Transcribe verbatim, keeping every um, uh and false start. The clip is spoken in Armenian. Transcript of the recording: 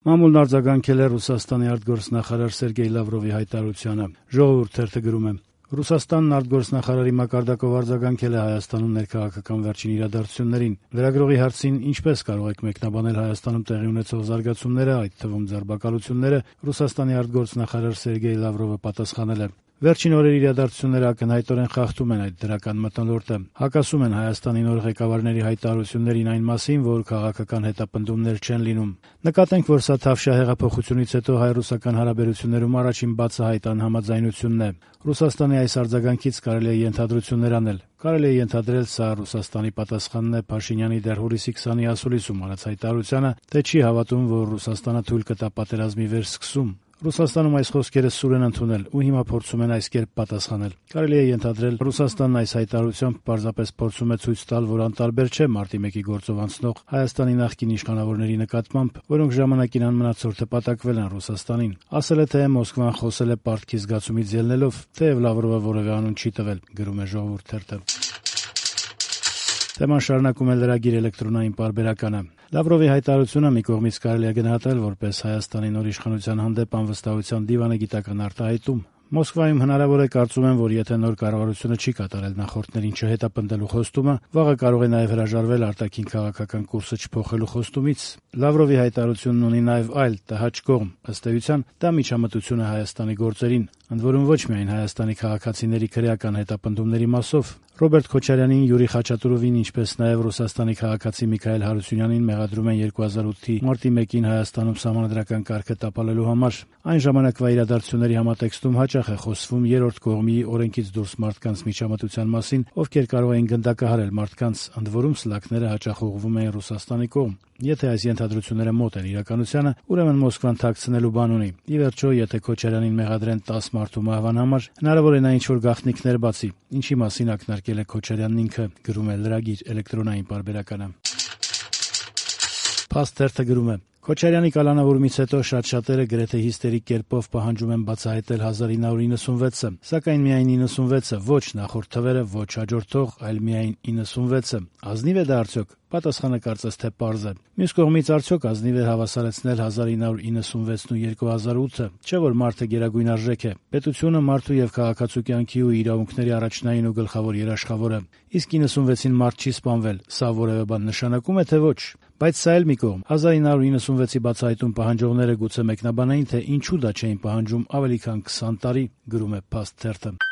Մամուլն արձագանքել է Ռուսաստանի արտգործնախարար Սերգեյ Լավրովի հայտարարությանը։ Ժողովուրդ թերթը գրում է. Ռուսաստանն արտգործնախարարի մակարդակով արձագանքել է Հայաստանում ներքաղաքական վերջին իրադարձություններին։ Լրագրողի հարցին ինչպես կարող եք մեկնաբանել Հայաստանում տեղի ունեցող զարգացումները, այդ թվում ձերբակալությունները, Ռուսաստանի արտգործնախարար Սերգեյ Լավրովը պատասխանել է. Վերջին օրերի իրադարձությունները ակնհայտորեն խախտում են այդ դրական մթնոլորտը, հակասում են Հայաստանի նոր ղեկավարների հայտարարություններին այն մասին, որ քաղաքական հետապնդումներ չեն լինում։ Նկատենք, որ սա Թավշյա հեղափոխությունից հետո հայ-ռուսական հարաբերություններում առաջին բացահայտ անհամաձայնությունն է։ Ռուսաստանի այս արձագանքից կարելի է ենթադրություններ անել։ Կարելի է ենթադրել, սա Ռուսաստանի պատասխանն է Փաշինյանի դեռ հուլիսի քսանի ասուլիսում արած հայտարարությանը, թե չի հավատում, որ Ռուսաստանը թույլ կտա պատերազմի վերսկսում։ Ռուսաստանում այս խոսքերը սուր են ընդունել ու հիմա փորձում են այս կերպ պատասխանել։ Կարելի է ենթադրել, Ռուսաստանն այս հայտարարությամբ պարզապես փորձում է ցույց տալ, որ անտարբեր չէ մարտի մեկի գործով անցնող Հայաստանի նախկին իշխանավորների նկատմամբ, որոնք ժամանակին անմնացորդ հպատակվել են Ռուսաստանին։ Ասել է, թե Մոսկվան խոսել է պարտքի զգացումից ելնելով, թեև Լավրովը որևէ անուն չի տվել, գրում է Ժողովուրդ թերթը։ Թեման շարունակում է լրագիր էլեկտրոնային պարբերականը։ Լավրովի հայտարարությունը մի կողմից կարելի է գնահատել որպես Հայաստանի նոր իշխանության հանդեպ անվստահության դիվանագիտական արտահայտում։ Մոսկվայում հնարավոր է կարծում են, որ եթե նոր կառավարությունը չի կատարել նախորդներին չհետապնդելու խոստումը, վաղը կարող է նաև հրաժարվել արտաքին քաղաքական կուրսը չփոխելու խոստումից։ Լավրովի հայտարարությունն ունի նաև այլ տհաճ կողմ։ Ըստ էության, դա միջամտություն է Հայաստանի գործերին, ընդ որում ոչ միայն Հայաստանի քաղաքացիների քրեական հետապնդումների մասով։ Ռոբերտ Քոչարյանին, Յուրի Խաչատուրովին, ինչպես նաև Ռուսաստանի քաղաքացի Միքայել Հարությունյանին մեղադրում են երկու հազար ութի մարտի մեկին Հայաստանում սահմանադրական կարգը տապալելու համար։ Այն ժամանակվա իրադարձությունների համատեքստում հաճախ է խոսվում երրորդ կողմի օրենքից դուրս մարդկանց միջամտության մասին, ովքեր կարող էին գնդակահարել մարդկանց, ընդ որում սլաքները հաճախ ուղղվում էին Ռուսաստանի կողմ։ Եթե այս ենթադրությունները մոտ են իրականությանը, ուրեմն Մոսկվան թաքցնելու բան ունի։ Ի վերջո, եթե Քոչարյանին մեղադրեն տասը մարդու մահվան համար, հնարավոր է նա ինչ-որ գաղտնիքներ բացի, ինչի մասին ակնարկել է Քոչարյանն ինքը, գրում է լրագիր էլեկտրոնային պարբերականը։ Փաստ թերթը գրում է. Քոչարյանի կալանավորումից հետո շատ շատերը գրեթե հիստերիկ կերպով պահանջում են բացահայտել հազար ինը հարյուր իննսունվեցը, սակայն միայն իննսունվեցը, ոչ նախորդ թվերը, ոչ հաջորդող, այլ միայն իննսունվեցը։ Ազնիվ է դա արդյոք։ Պատասխանը կարծես թե պարզ է։ Մյուս կողմից արդյոք ազնիվ է հավասարեցնել հազար ինը հարյուր իննսունվեցն ու երկու հազար ութը, չէ՞ որ մարդը գերագույն արժեք է։ Պետությունը մարդու եւ քաղաքացու կյանքի ու իրավունքների առաջնային ու գլխավոր երաշխավորը։ Իսկ իննսունվեցին մարդ չի սպանվել։ Սա որևէ բան նշանակում է, թե ոչ։ Բայց սա էլ մի կողմ։ հազար ինը հարյուր իննսունվեցի բացահայտում պահանջողները գուցե մեկնաբանային, թե ինչու դա չէին պահանջում ավելի քան քսան տարի, գրում է Փաստ թերթը։